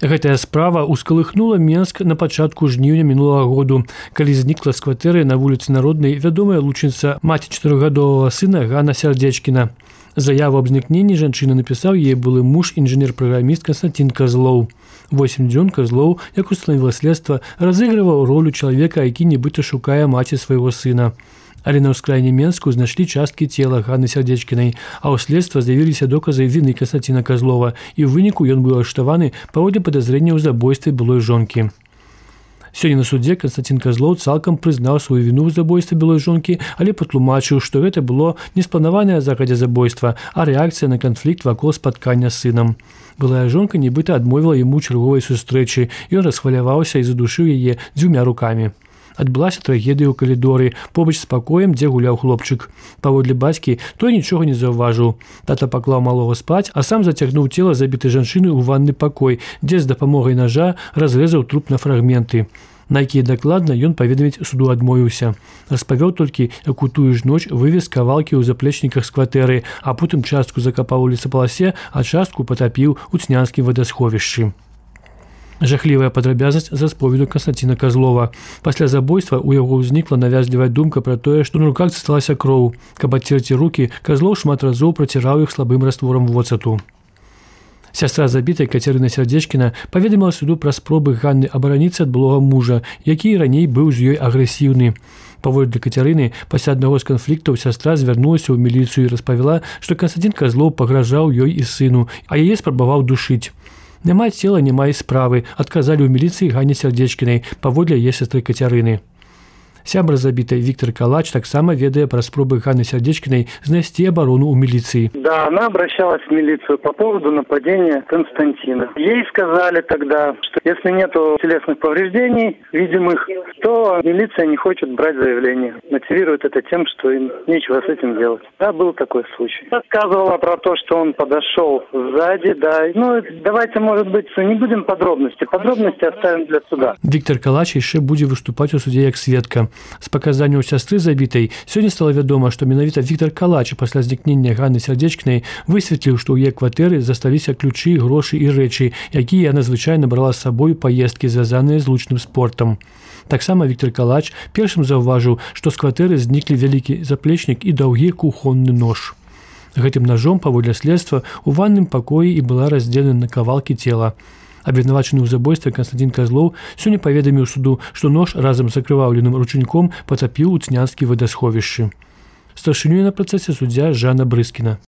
Гэтая справа ускалыхнула Менск на пачатку жніўня мінулага году, калі знікла з кватэры на вуліцы Народнай вядомая лучніца маці 4гадовага сына Ганна Сярдзечкіна. Заяву аб знікненні жанчына напісаў яе былы муж інжынер-праграміст Константин Козлоў. 8 дзён Козлоў, як устанавіла следства, разыгрываў ролю чалавека, які нібыта шукае маці свайго сына. Але на ўскраіне Менску знайшлі часткі цела Ганны Сярдзечкінай, а ў следства з'явіліся доказы віны Константина Козлова, і ў выніку ён быў арыштаваны паводле падазрэння ў забойстве былой жонкі. Сёння на судзе Константин Козлоў цалкам прызнаў сваю віну ў забойстве былой жонкі, але патлумачыў, што гэта было не спланаванае загадзя забойства, а рэакцыя на канфлікт вакол спаткання з сынам. Былая жонка нібыта адмовіла яму чарговай сустрэчы, ён расхваляваўся і задушыў яе 2 рукамі. Адбылася трагедыя ў калідоры, побач з пакоем, дзе гуляў хлопчык. Паводле бацькі, той нічога не заўважыў. Тата паклаў малога спаць, а сам зацягнуў цела забітай жанчыны ў ванны пакой, дзе з дапамогай нажа разрэзаў труп на фрагменты. На якія дакладна ён паведаміць суду адмовіўся. Распавёў толькі, як у тую ж ноч вывез кавалкі ў заплечніках з кватэры, а потым частку закапаў у лесапаласе, а частку патапіў у Цнянскім вадасховішчы. Жахлівая падрабязнасць з расповеду Константина Козлова. Пасля забойства ў яго ўзнікла навязлівая думка пра тое, што на руках засталася кроў. Каб адцерці рукі, Козлоў шмат разоў праціраў іх слабым растворам воцату. Сястра забітай Кацярына Сярдзечкіна паведаміла суду пра спробы Ганны абараніцца ад былога мужа, які раней быў з ёй агрэсіўны. Паводле Кацярыны, пасля аднаго з канфліктаў сястра звярнулася ў міліцыю і распавяла, што Константин Козлоў пагражаў ёй і сыну, а яе спрабаваў душыць. Няма цела, няма і справы, адказалі ў міліцыі Ганне Сярдзечкінай, паводле яе сястры Кацярыны. Сябар забітай Виктор Калач таксама ведае пра спробы Ганны Сярдзечкінай знайсці абарону ў міліцыі. Да, она обращалась в милицию по поводу нападения Константина. Ей сказали тогда, что если нету телесных повреждений видимых, то милиция не хочет брать заявление. Мотивирует это тем, что им нечего с этим делать. Да, был такой случай. Рассказывала про то, что он подошел сзади, да. Ну, давайте, может быть, не будем подробности. Подробности оставим для суда. Виктор Калач яшчэ будзе выступаць у судзе як сведка. З паказанняў сястры забітай сёння стала вядома, што менавіта Виктор Калач пасля знікнення Ганны Сярдзечкінай высветліў, што ў яе кватэры засталіся ключы, грошы і рэчы, якія яна звычайна брала з сабой паездкі, звязаныя з лучным спортам. Таксама Виктор Калач першым заўважыў, што з кватэры зніклі вялікі заплечнік і даўгі кухонны нож. Гэтым ножом, паводле следства, у ванным пакоі і была раздзелена на кавалкі цела. Абвінавачаны ў забойстве Константин Козлоў сёння паведаміў суду, што нож разам з акрываўленым ручніком патапіў у Цнянскім вадасховішчы. Старшынёй на працэсе суддзя Жанна Брыскіна.